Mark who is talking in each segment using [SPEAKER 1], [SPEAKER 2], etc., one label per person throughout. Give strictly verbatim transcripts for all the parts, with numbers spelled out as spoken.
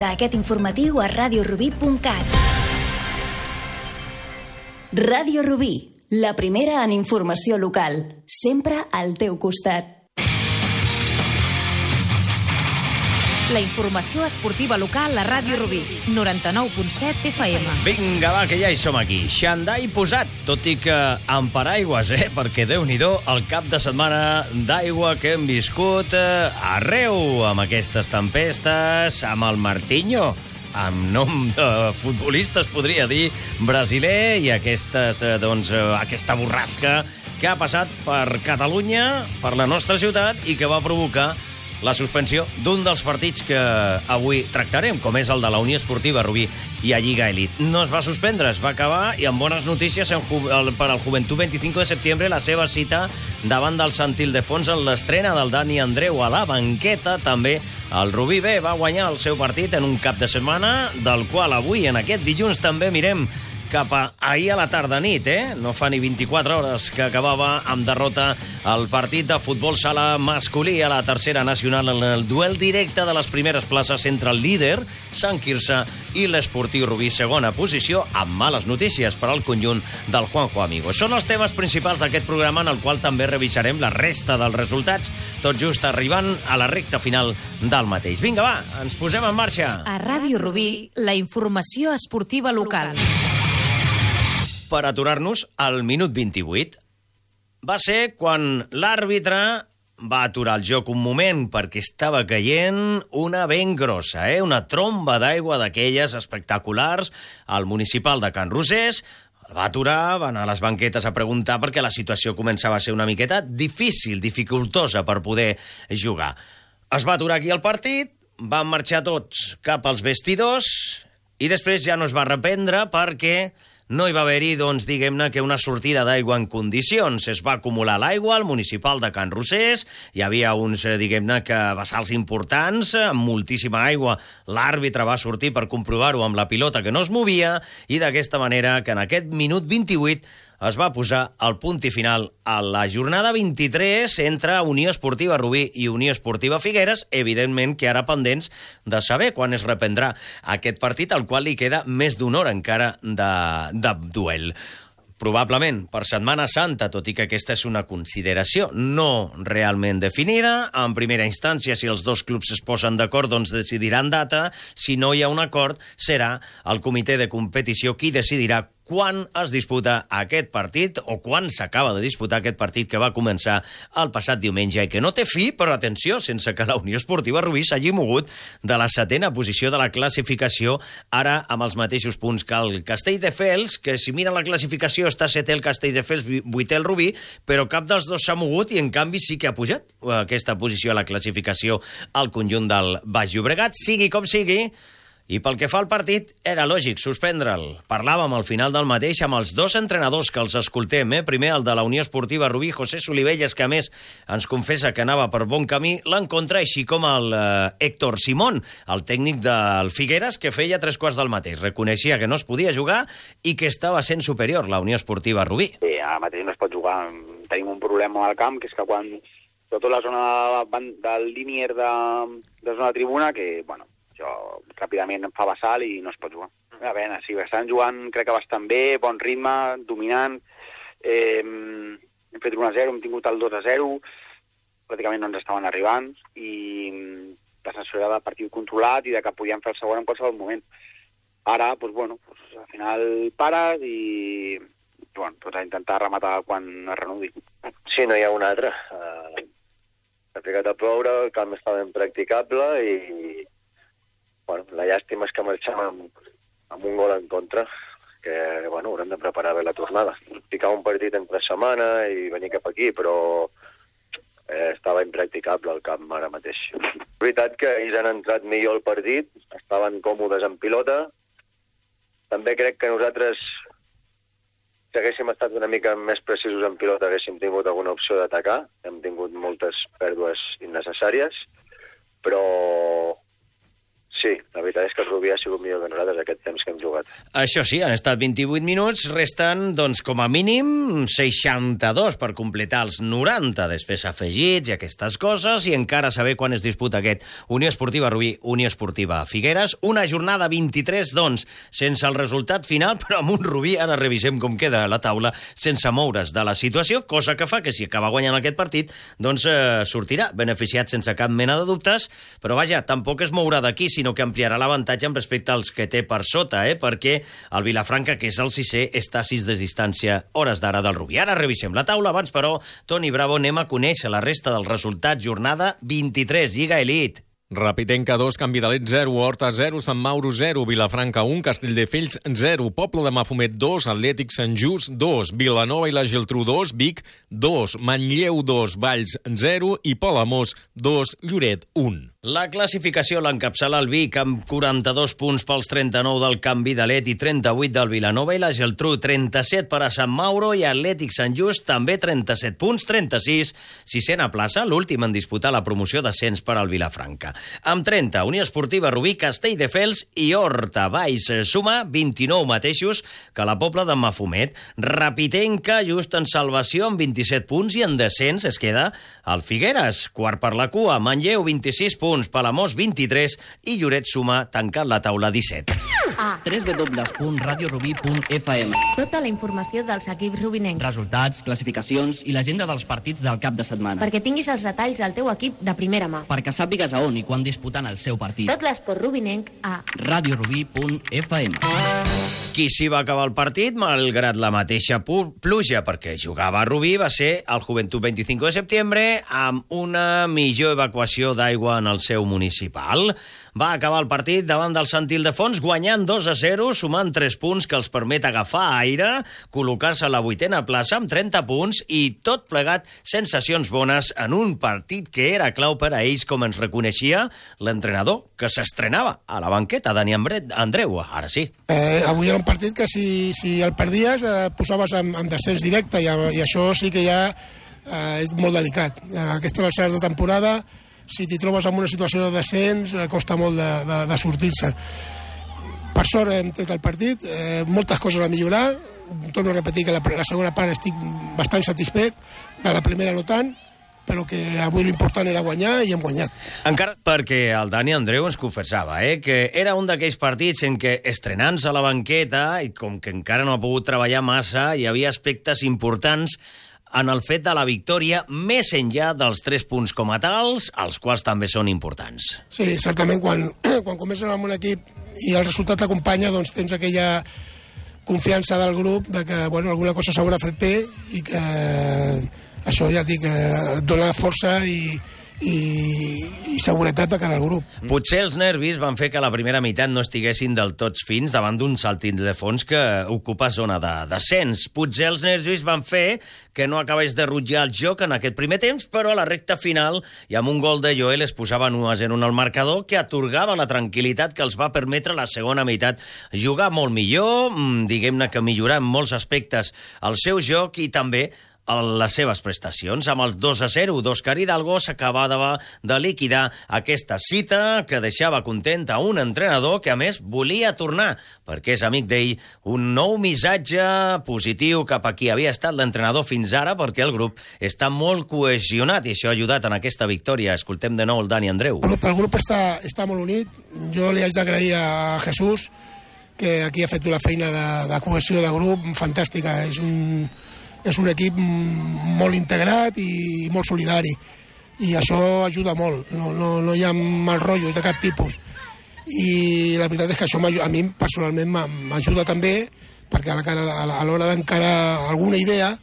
[SPEAKER 1] Aquest informatiu a ràdio rubí punt cat. Ràdio Rubí, la primera en informació local, sempre al teu costat.
[SPEAKER 2] La informació esportiva local a Ràdio Rubí, noranta-nou punt set F M.
[SPEAKER 3] Vinga, va, que ja hi som aquí. Xandall posat, tot i que amb paraigües, eh? Perquè Déu-n'hi-do el cap de setmana d'aigua que hem viscut eh, arreu, amb aquestes tempestes, amb el Martinho, amb nom de futbolista, es podria dir, brasiler, i aquestes, eh, doncs, eh, aquesta borrasca que ha passat per Catalunya, per la nostra ciutat, i que va provocar la suspensió d'un dels partits que avui tractarem, com és el de la Unió Esportiva Rubí i a Lliga Elit. No es va suspendre, es va acabar, i amb bones notícies en, per al Joventut vint-i-cinc de setembre, la seva cita davant del Sant Ildefons en l'estrena del Dani Andreu a la banqueta. També el Rubí B va guanyar el seu partit en un cap de setmana, del qual avui, en aquest dilluns, també mirem cap a ahir a la tarda nit, eh? No fa ni vint-i-quatre hores que acabava amb derrota el partit de futbol sala masculí a la tercera nacional en el duel directe de les primeres places entre el líder, Sant Quirze, i l'Esportiu Rubí, segona posició, amb males notícies per al conjunt del Juanjo Amigo. Són els temes principals d'aquest programa, en el qual també revisarem la resta dels resultats, tot just arribant a la recta final del mateix. Vinga, va, ens posem en marxa.
[SPEAKER 2] A Ràdio Rubí, la informació esportiva local.
[SPEAKER 3] Per aturar-nos al minut vint-i-vuit. Va ser quan l'àrbitre va aturar el joc un moment perquè estava caient una ben grossa, eh? Una tromba d'aigua d'aquelles espectaculars al municipal de Can Rosés. El va aturar, va anar a les banquetes a preguntar perquè la situació començava a ser una miqueta difícil, dificultosa per poder jugar. Es va aturar aquí el partit, van marxar tots cap als vestidors i després ja no es va reprendre perquè no hi va haver-hi, doncs, diguem-ne, que una sortida d'aigua en condicions. Es va acumular l'aigua al municipal de Can Rosés, hi havia uns, diguem-ne, que vessals importants, amb moltíssima aigua. L'àrbitre va sortir per comprovar-ho amb la pilota que no es movia, i d'aquesta manera que en aquest minut vint-i-vuit es va posar el punt i final a la jornada vint-i-tres entre Unió Esportiva Rubí i Unió Esportiva Figueres, evidentment que ara pendents de saber quan es reprendrà aquest partit, al qual li queda més d'una hora encara de, de duel. Probablement per Setmana Santa, tot i que aquesta és una consideració no realment definida. En primera instància, si els dos clubs es posen d'acord, doncs decidiran data. Si no hi ha un acord, serà el comitè de competició qui decidirà quan es disputa aquest partit o quan s'acaba de disputar aquest partit que va començar el passat diumenge i que no té fi, però atenció, sense que la Unió Esportiva Rubí s'hagi mogut de la setena posició de la classificació, ara amb els mateixos punts que el Castelldefels, que si mira la classificació està setè el Castelldefels, vuitè el Rubí, però cap dels dos s'ha mogut i en canvi sí que ha pujat aquesta posició a la classificació al conjunt del Baix Llobregat. Sigui com sigui, i pel que fa al partit, era lògic suspendre'l. Parlàvem al final del mateix amb els dos entrenadors que els escoltem. Eh? Primer, el de la Unió Esportiva Rubí, José Solivelles, que a més ens confessa que anava per bon camí l'encontre, així com el eh, Héctor Simón, el tècnic del Figueres, que feia tres quarts del mateix. Reconeixia que no es podia jugar i que estava sent superior la Unió Esportiva Rubí.
[SPEAKER 4] Sí, ara mateix no es pot jugar. Tenim un problema al camp, que és que quan tota la zona del línier de, de zona de tribuna, que, bueno, això ràpidament em fa vessal i no es pot jugar. A veure, sí, estan jugant, crec que bastant bé, bon ritme, dominant. Eh, hem fet un a zero, hem tingut el dos a zero, pràcticament no ens estaven arribant, i la sensació era de partit controlat i de que podíem fer el segon en qualsevol moment. Ara, doncs, bueno, doncs, al final pares i, bueno, doncs, a intentar rematar quan es renudi.
[SPEAKER 5] Sí, no hi ha un altre. Uh, ha ficat a ploure, el camp estava impracticable i bueno, la llàstima és que marxem amb, amb un gol en contra, que bueno, haurem de preparar bé la tornada. Ficar un partit entre setmana i venir cap aquí, però eh, estava impracticable el camp ara mateix. La veritat que ells han entrat millor al partit, estaven còmodes en pilota. També crec que nosaltres, si haguéssim estat una mica més precisos en pilota, haguéssim tingut alguna opció d'atacar. Hem tingut moltes pèrdues innecessàries, però Sí, la veritat és que el Rubí ha sigut millor que nosaltres aquest temps que hem jugat.
[SPEAKER 3] Això sí, han estat vint-i-vuit minuts, resten, doncs, com a mínim, seixanta-dos per completar els noranta, després afegits i aquestes coses, i encara saber quan es disputa aquest Unió Esportiva Rubí, Unió Esportiva Figueres. Una jornada vint-i-tres, doncs, sense el resultat final, però amb un Rubí, ara revisem com queda la taula, sense moure's de la situació, cosa que fa que si acaba guanyant aquest partit, doncs eh, sortirà beneficiat sense cap mena de dubtes, però vaja, tampoc es mourà d'aquí, sinó que ampliarà l'avantatge en respecte als que té per sota, eh? perquè el Vilafranca, que és el sisè, està a sis de distància, hores d'ara del Rubí. Ara revisem la taula. Abans, però, Toni Bravo, anem a conèixer la resta del resultat. Jornada vint-i-tres, Lliga Elite.
[SPEAKER 6] Rapitenca dos, Canvi d'Alet zero, Horta zero, Sant Mauro zero, Vilafranca un, Castelldefels zero, Poble de Mafumet dos, Atlètic Sant Just dos, Vilanova i la Geltrú dos, Vic dos, Manlleu dos, Valls zero i Palamós dos, Lloret un.
[SPEAKER 3] La classificació l'encapçala el Vic amb quaranta-dos punts pels trenta-nou del Canvi d'Alet i trenta-vuit del Vilanova i la Geltrú, trenta-set per a Sant Mauro i Atlètic Sant Just, també trenta-set punts, trenta-sis, sisena plaça, l'últim en disputar la promoció d'ascens per al Vilafranca. Amb trenta, Unió Esportiva Rubí, Castelldefels i Horta. Valls suma vint-i-nou mateixos que la Pobla de Mafumet. Rapitenca, just en salvació, amb vint-i-set punts, i en descens es queda el Figueres, quart per la cua. Manlleu, vint-i-sis punts, Palamós vint-i-tres i Lloret suma, tancant la taula, disset.
[SPEAKER 7] A w w w punt radio rubí punt f m.
[SPEAKER 8] Tota la informació dels equips rubinencs.
[SPEAKER 7] Resultats, classificacions i l'agenda dels partits del cap de setmana.
[SPEAKER 8] Perquè tinguis els detalls del teu equip de primera mà.
[SPEAKER 7] Perquè sàpigues a on i quan disputen el seu partit.
[SPEAKER 8] Tot l'esport rubinenc a
[SPEAKER 7] radio rubí punt f m.
[SPEAKER 3] Qui s'hi va acabar el partit, malgrat la mateixa pluja, perquè jugava a Rubí, va ser el Joventut vint-i-cinc de setembre, amb una millor evacuació d'aigua en el seu municipal. Va acabar el partit davant del Sant Ildefons, guanyant dos a zero, sumant tres punts que els permet agafar aire, col·locar-se a la vuitena plaça amb trenta punts i tot plegat sensacions bones en un partit que era clau per a ells, com ens reconeixia l'entrenador que s'estrenava a la banqueta, Dani Andreu. Ara sí.
[SPEAKER 9] Eh, avui era un partit que si, si el perdies eh, posaves en, en descens directe i, i això sí que ja eh, és molt delicat. A aquestes alçades de temporada, si t'hi trobes en una situació de descens, eh, costa molt de, de, de sortir-se. Per sort hem tret el partit, eh, moltes coses a millorar. Torno a repetir que la, la segona part estic bastant satisfet, de la primera no tant, però que avui l'important era guanyar i hem guanyat.
[SPEAKER 3] Encara perquè el Dani Andreu ens confessava eh, que era un d'aquells partits en què, estrenant-se a la banqueta, i com que encara no ha pogut treballar massa, hi havia aspectes importants en el fet de la victòria, més enllà dels tres punts com a tals, els quals també són importants.
[SPEAKER 9] Sí, certament, quan, quan comences amb un equip i el resultat t'acompanya, doncs tens aquella confiança del grup de que bueno, alguna cosa s'haurà fet bé i que això ja dic, et dona força i, i, i seguretat de cara al grup.
[SPEAKER 3] Potser els nervis van fer que la primera meitat no estiguessin del tots fins davant d'un Sant Ildefons que ocupa zona de descens. Potser els nervis van fer que no acabés de rutjar el joc en aquest primer temps, però a la recta final i amb un gol de Joel es posaven u a zero en el marcador, que atorgava la tranquil·litat que els va permetre la segona meitat jugar molt millor, diguem-ne que millorar en molts aspectes el seu joc i també les seves prestacions. Amb els dos a zero d'Òscar Hidalgo s'acabava de liquidar aquesta cita que deixava content a un entrenador que a més volia tornar, perquè és amic d'ell, un nou missatge positiu cap a qui havia estat l'entrenador fins ara, perquè el grup està molt cohesionat i això ha ajudat en aquesta victòria. Escoltem de nou el Dani Andreu.
[SPEAKER 9] El grup, el grup està, està molt unit. Jo li haig d'agrair a Jesús, que aquí ha fet una feina de, de cohesió de grup fantàstica. És un és un equip molt integrat i molt solidari i això ajuda molt, no, no, no hi ha mal rotllos de cap tipus i la veritat és que això a mi personalment m'ajuda també perquè a l'hora d'encarar alguna idea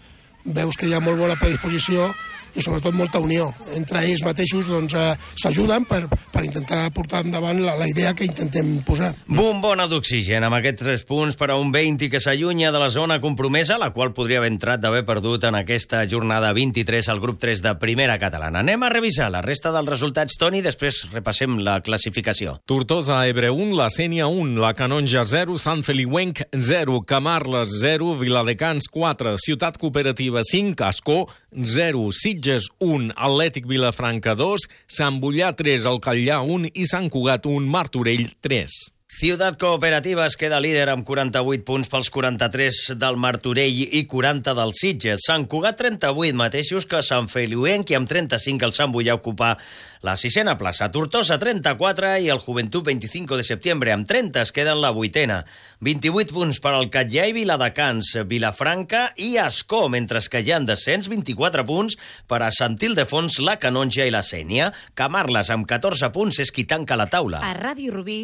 [SPEAKER 9] veus que hi ha molt bona predisposició i sobretot molta unió. Entre ells mateixos doncs, eh, s'ajuden per, per intentar portar endavant la, la idea que intentem posar.
[SPEAKER 3] Bombona d'oxigen amb aquests tres punts per a un vint que s'allunya de la zona compromesa, la qual podria haver entrat d'haver perdut en aquesta jornada vint-i-tres al grup tres de Primera Catalana. Anem a revisar la resta dels resultats, Toni, després repassem la classificació.
[SPEAKER 6] Tortosa, Ebre un, la Sénia un, la Canonja zero, Sant Feliuenc zero, Camarles zero, Viladecans quatre, Ciutat Cooperativa cinc, Ascó zero, Sitges Sitges un, Atlètic Vilafranca dos, Sant Bollà tres, el Catllà un i Sant Cugat un, Martorell tres.
[SPEAKER 3] Ciutat Cooperativa es queda líder amb quaranta-vuit punts pels quaranta-tres del Martorell i quaranta del Sitges. Sant Cugat trenta-vuit mateixos que Sant Feliuenc i amb trenta-cinc el Sant Bollà ocupa la sisena plaça. Tortosa trenta-quatre i el Joventut vint-i-cinc de setembre amb trenta es queda en la vuitena. vint-i-vuit punts per al Catllà i Viladecans, Vilafranca i Ascó, mentre que hi ha en descens vint-i-quatre punts per a Sant Ildefons, la Canonja i la Sénia. Camarles amb catorze punts és qui tanca la taula.
[SPEAKER 2] A Ràdio Rubí,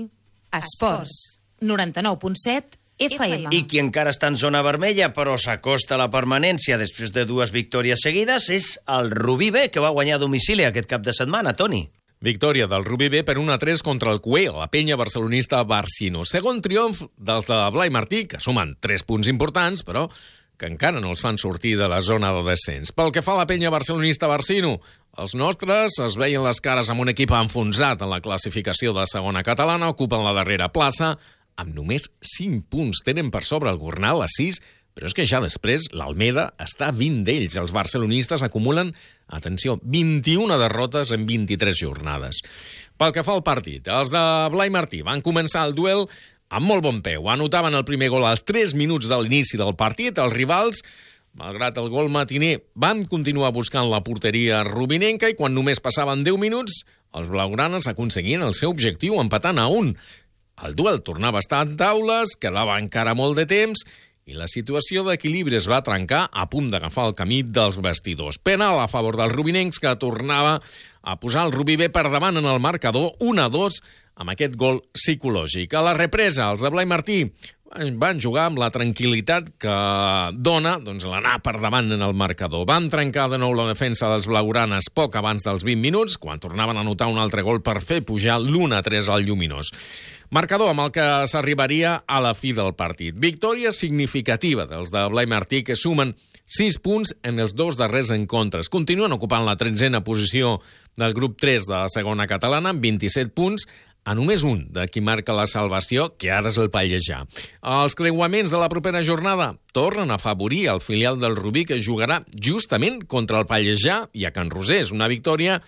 [SPEAKER 2] Esports, noranta-nou punt set F M.
[SPEAKER 3] I qui encara està en zona vermella, però s'acosta a la permanència després de dues victòries seguides, és el Rubí B, que va guanyar a domicili aquest cap de setmana, Toni.
[SPEAKER 6] Victòria del Rubí B per un a tres contra el Cué, la penya barcelonista Barcino. Segon triomf dels de Blai Martí, que sumen tres punts importants, però que encara no els fan sortir de la zona de descens. Pel que fa a la penya barcelonista Barcino, els nostres es veien les cares amb un equip enfonsat en la classificació de segona catalana, ocupen la darrera plaça, amb només cinc punts. Tenen per sobre el Gornal a sis, però és que ja després l'Almeda està a vint d'ells. Els barcelonistes acumulen, atenció, vint-i-una derrotes en vint-i-tres jornades. Pel que fa al partit, els de Blai Martí van començar el duel amb molt bon peu. Anotaven el primer gol als tres minuts de l'inici del partit. Els rivals, malgrat el gol matiner, van continuar buscant la porteria rubinenca i quan només passaven deu minuts, els blaugranes aconseguien el seu objectiu empatant a un. El duel tornava a estar en taules, quedava encara molt de temps i la situació d'equilibri es va trencar a punt d'agafar el camí dels vestidors. Penal a favor dels rubinencs, que tornava a posar el Rubí B per davant en el marcador un a dos amb aquest gol psicològic. A la represa, els de Blai Martí van jugar amb la tranquil·litat que dona doncs, l'anar per davant en el marcador. Van trencar de nou la defensa dels blaugranes poc abans dels vint minuts, quan tornaven a anotar un altre gol per fer pujar l'un a tres al Lluminós. Marcador amb el que s'arribaria a la fi del partit. Victòria significativa dels de Blai Martí, que sumen sis punts en els dos darrers encontres. Continuen ocupant la tretzena posició del grup tres de la segona catalana amb vint-i-set punts, a només un de qui marca la salvació, que ara és el Pallejà. Els creuaments de la propera jornada tornen a afavorir el filial del Rubí, que jugarà justament contra el Pallejà i a Can Rosés. Una victòria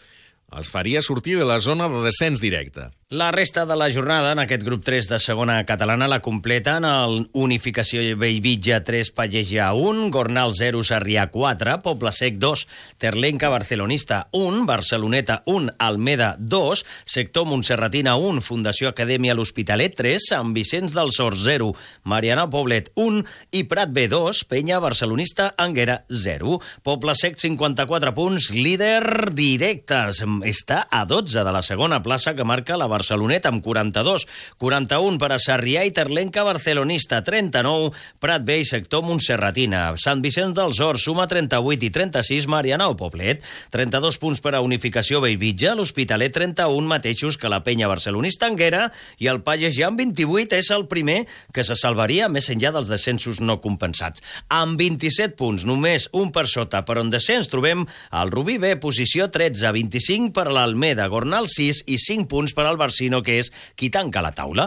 [SPEAKER 6] els faria sortir de la zona de descens directe.
[SPEAKER 3] La resta de la jornada en aquest grup tres de segona catalana la completen el Unificació Bellvitge tres, Pallejà un, Gornal zero, Sarrià quatre, Poble Sec dos, Terlenca Barcelonista un, Barceloneta un, Almeda dos, Sector Montserratina un, Fundació Acadèmia L'Hospitalet tres, Sant Vicenç dels Horts zero, Mariana Poblet un i Prat B dos, Penya Barcelonista Anguera zero. Poble Sec cinquanta-quatre punts, líder directes. Està a dotze de la segona plaça que marca la Barceloneta amb quaranta-dos, quaranta-un per a Sarrià i Terlenca Barcelonista, trenta-nou, Prat B i Sector Montserratina. Sant Vicenç dels Horts suma trenta-vuit i trenta-sis, Mariana o Poblet, trenta-dos punts per a Unificació Bellvitge, l'Hospitalet trenta-un, mateixos que la Penya Barcelonista Anguera, i el Pallejà amb vint-i-vuit és el primer que se salvaria més enllà dels descensos no compensats. Amb vint-i-set punts, només un per sota, per on descens trobem el Rubí B, posició tretze, vint-i-cinc per a l'Almeda, Gornal sis i cinc punts per al Barcino, que és qui tanca la taula.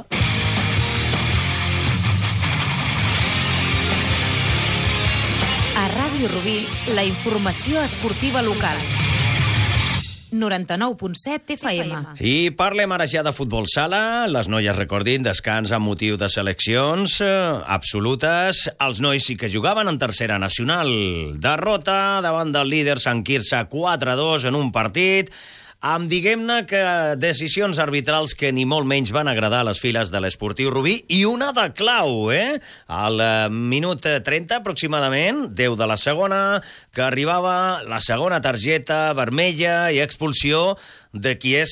[SPEAKER 2] A Ràdio Rubí, la informació esportiva local. noranta-nou punt set F M.
[SPEAKER 3] I parlem ara ja de futbol sala. Les noies, recordin, descans amb motiu de seleccions eh, absolutes. Els nois sí que jugaven en tercera nacional. Derrota davant del líder Sant Quirze quatre a dos en un partit amb, diguem-ne, que decisions arbitrals que ni molt menys van agradar a les files de l'Esportiu Rubí, i una de clau, eh? Al minut trenta, aproximadament, deu de la segona, que arribava la segona targeta vermella i expulsió de qui és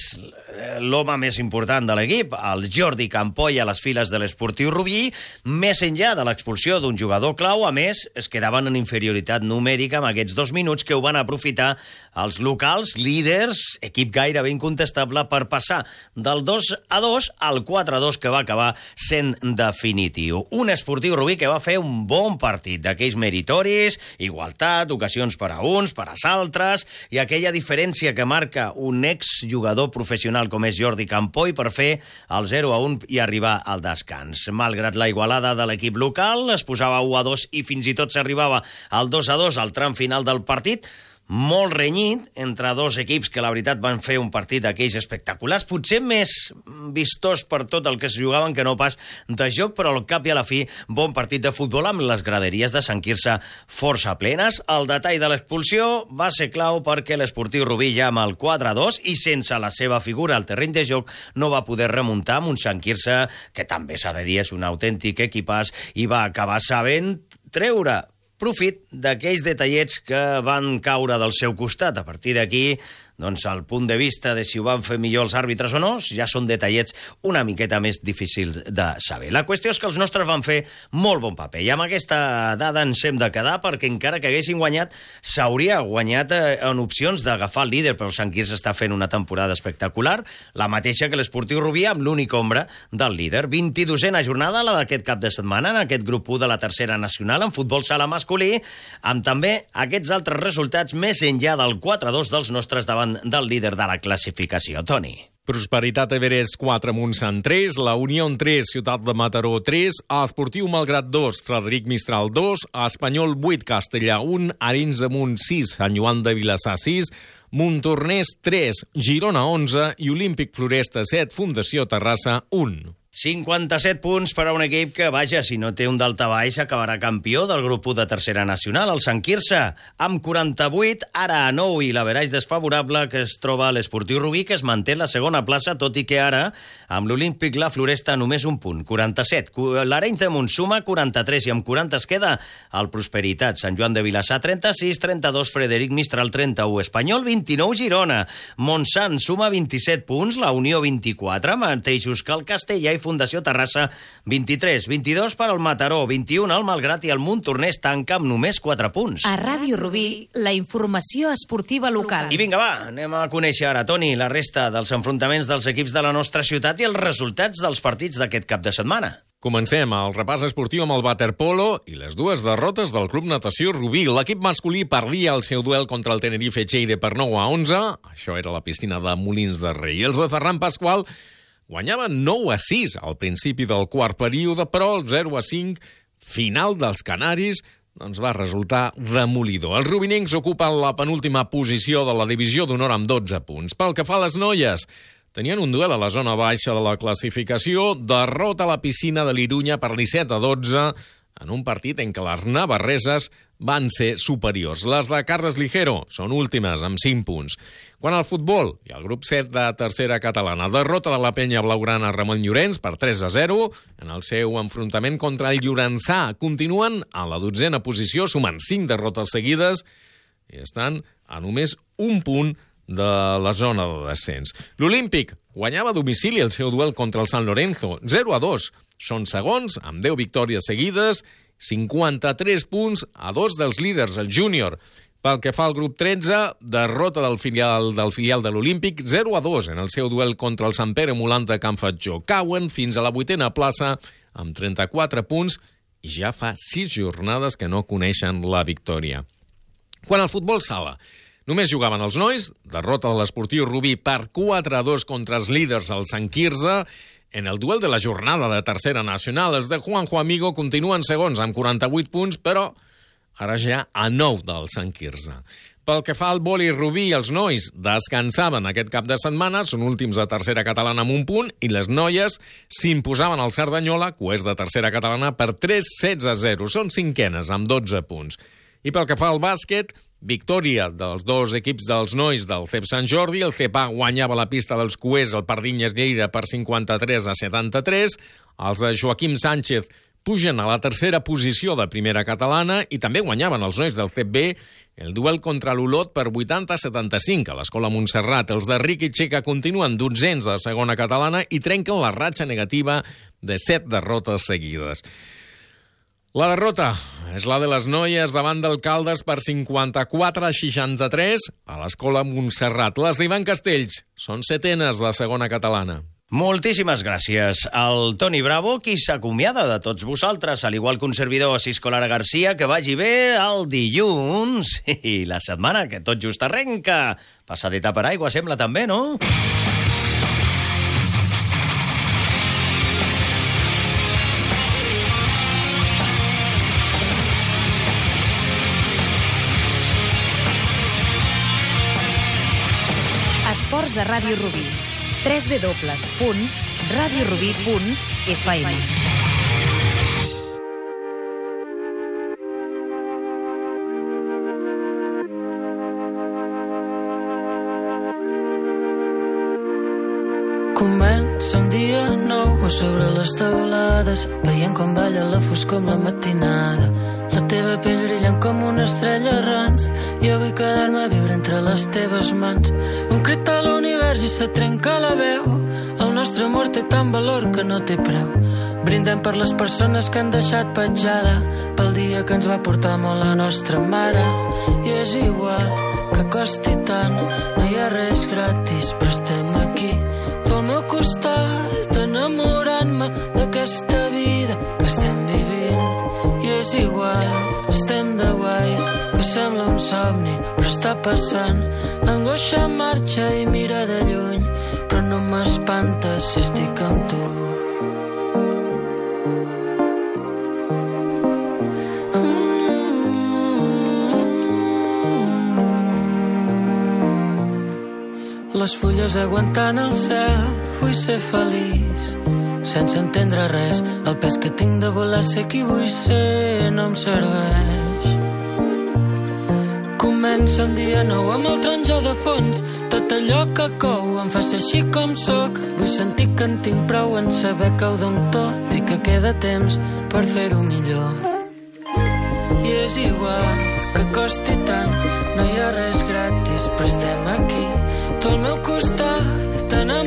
[SPEAKER 3] l'home més important de l'equip, el Jordi Campoy, a les files de l'Esportiu Rubí. Més enllà de l'expulsió d'un jugador clau, a més, es quedaven en inferioritat numèrica amb aquests dos minuts que ho van aprofitar els locals, líders, equip gairebé incontestable, per passar del dos a dos al quatre a dos, que va acabar sent definitiu. Un Esportiu Rubí que va fer un bon partit, d'aquells meritoris, igualtat, ocasions per a uns, per als altres, i aquella diferència que marca un exjugador professional com és Jordi Campoy per fer el zero a un i arribar al descans. Malgrat la igualada de l'equip local, es posava u a dos i fins i tot s'arribava al dos a dos al tram final del partit. molt renyit entre dos equips que la veritat van fer un partit d'aquells espectaculars, potser més vistós per tot el que es jugaven que no pas de joc, però al cap i a la fi bon partit de futbol amb les graderies de Sant Quirze força plenes. El detall de l'expulsió va ser clau perquè l'Esportiu Rubí ja amb el quatre a dos i sense la seva figura al terreny de joc no va poder remuntar amb un Sant Quirze que també s'ha de dir és un autèntic equipàs i va acabar sabent treure profit d'aquells detallets que van caure del seu costat. A partir d'aquí, doncs, el punt de vista de si ho van fer millor els àrbitres o no, ja són detallets una miqueta més difícils de saber. La qüestió és que els nostres van fer molt bon paper, i amb aquesta dada ens hem de quedar, perquè encara que haguessin guanyat, s'hauria guanyat en opcions d'agafar el líder, però el Sant Quirze està fent una temporada espectacular, la mateixa que l'Esportiu Rubí, amb l'única ombra del líder. vint-i-dosena jornada, la d'aquest cap de setmana, en aquest grup u de la tercera nacional, en futbol sala masculí, amb també aquests altres resultats més enllà del quatre a dos dels nostres davant del líder de la classificació. Toni.
[SPEAKER 6] Prosperitat Everest quatre, Montsant tres, la Unió tres, Ciutat de Mataró tres, Esportiu Malgrat dos, Frederic Mistral dos, Espanyol vuit, Castellà un, Arenys de Munt sis, Sant Joan de Vilassar sis, Montornès tres, Girona onze i Olímpic Floresta set, Fundació Terrassa un.
[SPEAKER 3] cinquanta-set punts per a un equip que, vaja, si no té un daltabaix, acabarà campió del grup u de tercera nacional, el Sant Quirze, amb quaranta-vuit, ara a nou, i l'averaix desfavorable que es troba a l'Esportiu Rubí, que es manté la segona plaça, tot i que ara, amb l'Olímpic la Floresta, només un punt, quaranta-set. L'Arenys de Munt suma quaranta-tres, i amb quaranta es queda el Prosperitat. Sant Joan de Vilassar, trenta-sis, trenta-dos, Frederic Mistral, trenta-u, Espanyol, vint-i-nou, Girona. Montsant suma vint-i-set punts, la Unió vint-i-quatre, mateixos que el Castellà, i Fundació Terrassa, vint-i-tres, vint-i-dos per al Mataró, vint-i-un al Malgrat, i el Montornès tanca amb només quatre punts.
[SPEAKER 2] A Ràdio Rubí, la informació esportiva local.
[SPEAKER 3] I vinga, va, anem a conèixer ara, Toni, la resta dels enfrontaments dels equips de la nostra ciutat i els resultats dels partits d'aquest cap de setmana.
[SPEAKER 6] Comencem el repàs esportiu amb el waterpolo i les dues derrotes del Club Natació Rubí. L'equip masculí perdia el seu duel contra el Tenerife Lleida per nou a onze, això era la piscina de Molins de Rei. Els de Ferran Pasqual guanyaven nou a sis al principi del quart període, però el zero a cinc final dels canaris doncs va resultar demolidor. Els rubinencs ocupen la penúltima posició de la divisió d'honor amb dotze punts. Pel que fa a les noies, tenien un duel a la zona baixa de la classificació, derrota a la piscina de l'Irunya per disset a dotze, en un partit en què les navarreses van ser superiors. Les de Carles Ligero són últimes, amb cinc punts. Quant al futbol, i el grup set de tercera catalana, derrota de la penya blaugrana Ramon Llorenç per tres a zero en el seu enfrontament contra el Llorençà. Continuen a la dotzena posició, sumen cinc derrotes seguides i estan a només un punt de la zona de descens. L'Olímpic guanyava a domicili el seu duel contra el San Lorenzo, zero a dos. Són segons, amb deu victòries seguides, cinquanta-tres punts a dos dels líders, el júnior. Pel que fa al grup tretze, derrota del filial del filial de l'Olímpic, zero a dos en el seu duel contra el Sant Pere Molant de Can Fatjó. Cauen fins a la vuitena plaça amb trenta-quatre punts i ja fa sis jornades que no coneixen la victòria. Quant al futbol sala, només jugaven els nois, derrota de l'Esportiu Rubí per quatre a dos contra els líders, el Sant Quirze. En el duel de la jornada de tercera nacional, els de Juanjo Amigo continuen segons amb quaranta-vuit punts, però ara ja a nou del Sant Quirze. Pel que fa al vòlei Rubí, els nois descansaven aquest cap de setmana, són últims de tercera catalana amb un punt, i les noies s'imposaven al Cerdanyola, que és de tercera catalana, per tres a setze a zero. Són cinquenes, amb dotze punts. I pel que fa al bàsquet, victòria dels dos equips dels nois del C E P Sant Jordi. El C E P A guanyava la pista dels Cuers al Pardinyes Lleida per cinquanta-tres a setanta-tres. Els de Joaquim Sánchez pugen a la tercera posició de primera catalana i també guanyaven els nois del C E P B el duel contra l'Olot per vuitanta a setanta-cinc a l'Escola Montserrat. Els de Riqui Txeca continuen dotzens de segona catalana i trenquen la ratxa negativa de set derrotes seguides. La derrota és la de les noies davant del Caldes per cinquanta-quatre a seixanta-tres a l'Escola Montserrat. Les d'Ivan Castells són setenes de segona catalana.
[SPEAKER 3] Moltíssimes gràcies al Toni Bravo, qui s'acomiada de tots vosaltres, al igual que un servidor Cisco Lara Garcia. Que vagi bé el dilluns i la setmana que tot just arrenca. Passadeta per aigua, sembla també, no?
[SPEAKER 2] a Ràdio Rubí. w w w punt radio rubí punt f m.
[SPEAKER 10] Comença un dia nou a sobre les teulades, veient com balla la foscor amb la matinada. La teva pell brillant com una estrella errant, jo vull quedar-me a viure entre les teves mans. Un crit a l'univers i se trenca la veu, el nostre amor té tant valor que no té preu. Brindem per les persones que han deixat petjada, pel dia que ens va portar molt la nostra mare. I és igual que costi tant, no hi ha res gratis, però estem aquí, tu al meu costat, enamorant-me d'aquesta vida que estem vivint. I és igual, estem de guais, que sembla un somni, però està passant. L'angoixa marxa i mira de lluny, però no m'espanta si estic amb tu. Les fulles aguantant el cel, vull ser feliç, sense entendre res. El pes que tinc de volar ser qui vull ser no em serveix. Comença un dia nou amb el taronja de fons, tot allò que cou em fa ser així com sóc. Vull sentir que en tinc prou en saber que ho dono tot i que queda temps per fer-ho millor. I és igual que costi tant, no hi ha res gratis, però estem aquí, tu al meu costat, t'enamorant